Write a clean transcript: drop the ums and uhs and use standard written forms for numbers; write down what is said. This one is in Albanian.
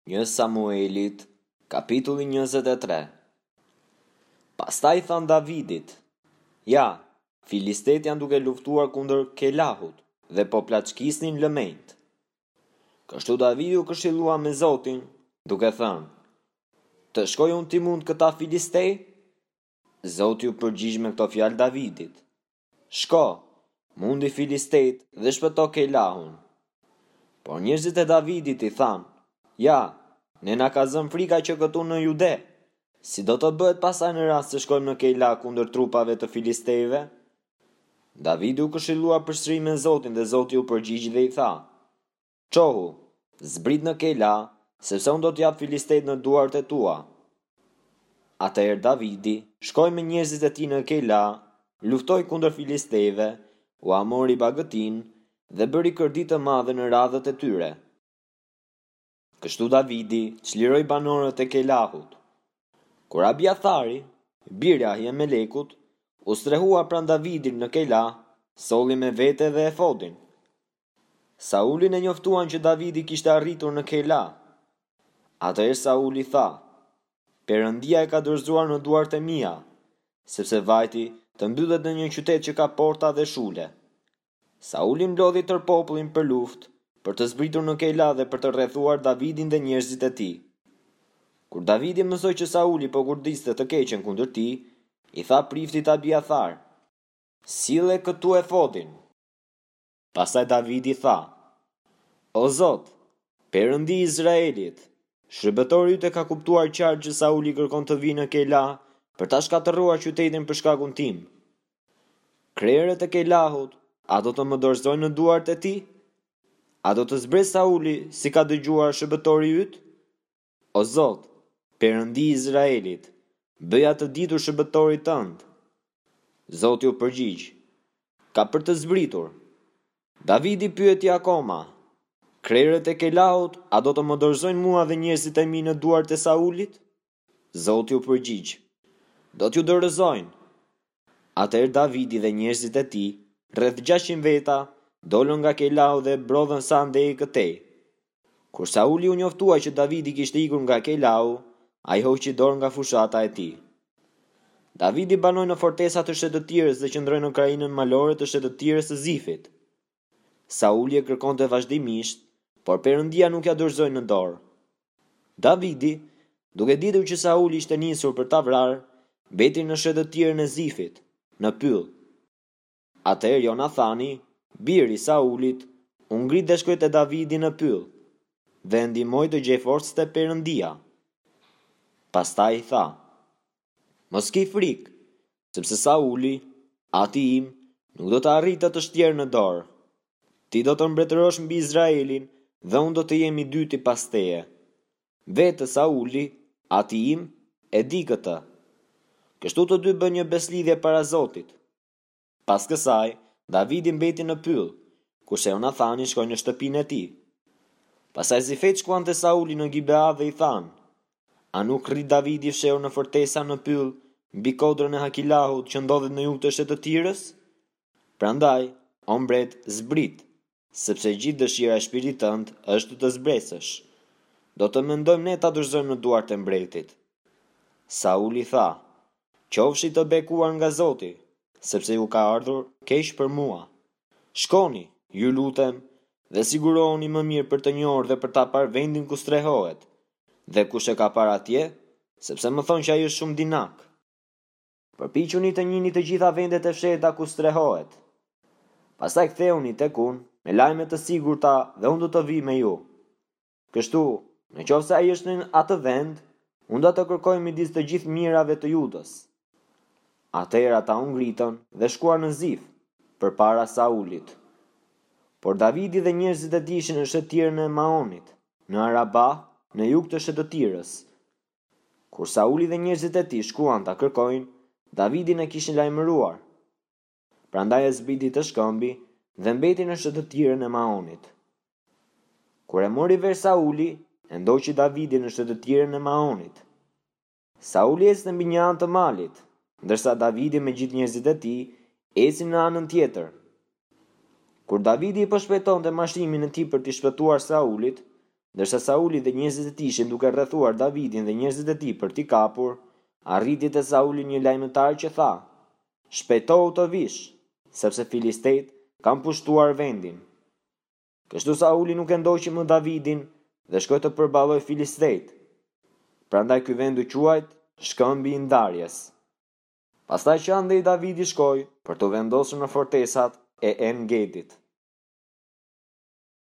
Një Samuelit, kapitulli 23 Pastaj i thanë Davidit, Ja, filistetë janë duke luftuar kundër Keilahut dhe po plaçkisnin lëmenjtë. Kështu Davidi u këshillua me Zotin, duke thënë, Të shkoj unë t'i mund këta filiste? Zoti iu përgjigj me këto fjalë Davidit, Shko, mundi filistejtë dhe shpëto Keilahun. Por njerëzit e Davidit i thanë, Ja, ne na ka zënë frika që këtu në Jude. Si do të bëhet pastaj në rast se shkojmë në Keilah kundër trupave të filistejve? Davidi u këshillua përsëri me Zotin dhe Zoti iu përgjigj dhe i tha, Çohu, zbrit në Keila, sepse unë do t'i jap filistejtë në duart e tua. Atëherë Davidi shkoi me njerëzit e tij në Keila, luftoi kundër filistejve, ua mori bagëtinë dhe bëri kërdi të madhe në radhët e tyre. Kështu Davidi çliroi banorët e Keilahut. Kur Abiathari, biri i Ahimelekut, u strehua pranë Davidit në Keila, solli me vete dhe efodin. Saulin e njoftuan që Davidi kishte arritur në Keila. Atëherë Sauli tha, Perëndia e ka dorëzuar në duart e mia, sepse vajti të mbyllet në një qytet që ka porta dhe shule. Sauli mblodhi tërë popullin për luftë, për të zbritur në Keila dhe për të rrethuar Davidin dhe njerëzit e tij. Kur Davidi mësoi që Sauli po kurdiste të keqen kundër tij, i tha priftit Abiathar, Sille këtu efodin. Pastaj Davidi tha, O Zot, Perëndi i Izraelit, shërbëtori yt e ka kuptuar qartë që Sauli kërkon të vijë në Keila për ta shkatërruar qytetin për shkakun tim. Krerët e Keilahut, a do të më dorëzojnë në duart e tij? A do të zbresë Sauli si ka dëgjuar shërbëtori yt? O Zot, Perëndi i Izraelit, bëja të ditur shërbëtorit tënd. Zoti u përgjigj, Ka për të zbritur. Davidi pyeti akoma, Krerët e Keilahut a do të më dorëzojnë mua dhe njerëzit e mi në duart e Saulit? Zoti u përgjigj, Do t'ju dorëzojnë. Atëherë Davidi dhe njerëzit e tij, rreth 600 veta, dolën nga Keilahu dhe brodhën sa andej e këtej. Kur Sauli u njoftua që Davidi kishte ikur nga Keilahu, ai hoqi dorë nga fushata e tij. Davidi banoi në fortesa të shtetëtirës dhe qëndroi në krahinën malore të shtetëtirës së Zifit. Sauli e kërkonte vazhdimisht, por Perëndia nuk ia dorëzoi në dorë. Davidi, duke ditur që Sauli ishte nisur për ta vrarë, mbeti në shtetëtirën e Zifit, në pyll. Atëherë Jonathani, biri i Saulit, u ngrit dhe shkoi te Davidi në pyll, dhe e ndihmoi të gjejë forcë te Perëndia. Pastaj i tha, Mos ki frikë, sepse Sauli, ati im, nuk do të arrijë të të shtjerë në dorë. Ti do të mbretërosh mbi Izraelin dhe unë do të jem i dyti pas teje. Vetë Sauli, ati im, e di këtë. Kështu të dy bënë një besëlidhje para Zotit. Pas kësaj, Davidi mbeti në pyll, kurse Jonathani shkoi në shtëpinë e tij. Pastaj zifejtë shkuan te Sauli në Gibea dhe i thanë, A nuk rri Davidi fshehur në fortesa në pyll, mbi kodrën e Hakilahut që ndodhet në jug të shtetëtirës? Prandaj, o mbret, zbrit, sepse gjithë dëshira e shpirtit tënd është të zbresësh. Do të mendojmë ne ta dorëzojmë në duart e mbretit. Sauli tha, Qofshi të bekuar nga Zoti, sepse ju ka ardhur keq për mua. Shkoni, ju lutem, dhe sigurohuni më mirë për të njohur dhe për ta parë vendin ku strehohet, dhe kush e ka parë atje, sepse më thonë që ai është shumë dinak. Përpiquni të njihni të gjitha vendet e fshehta ku strehohet. Pastaj kthehuni tek unë me lajme të sigurta dhe unë do të vij me ju. Kështu, në qoftë se ai është në atë vend, unë do të kërkoj midis të gjithë mijërave të Judës. Atëherë ata u ngritën dhe shkuan në Zif, përpara Saulit. Por Davidi dhe njerëzit e tij ishin në shtetëtirën e Maonit, në Arabah, në jug të shtetëtirës. Kur Sauli dhe njerëzit e tij shkuan ta kërkojnë, Davidin e kishin lajmëruar. Prandaj ai zbriti te shkëmbi dhe mbeti në shtetëtirën e Maonit. Kur e mori vesh Sauli, e ndoqi Davidin në shtetëtirën e Maonit. Sauli ecte mbi një anë të malit, ndërsa Davidi me gjithë njerëzit e tij ecnin në anën tjetër. Kur Davidi po shpejtonte marshimin e tij për t'i shpëtuar Saulit, Ndërsa Sauli dhe njerëzit e tij ishin duke rrethuar Davidin dhe njerëzit e tij për t'i kapur, arriti te Sauli një lajmëtar që tha, Shpejtohu të vish, sepse filistejtë kanë pushtuar vendin. Kështu Sauli nuk e ndoqi më Davidin dhe shkoi të përballojë filistejtë. Prandaj ky vend u quajt Shkëmbi i Ndarjes. Pastaj që andej Davidi shkoi për t'u vendosur në fortesat e En-Gedit.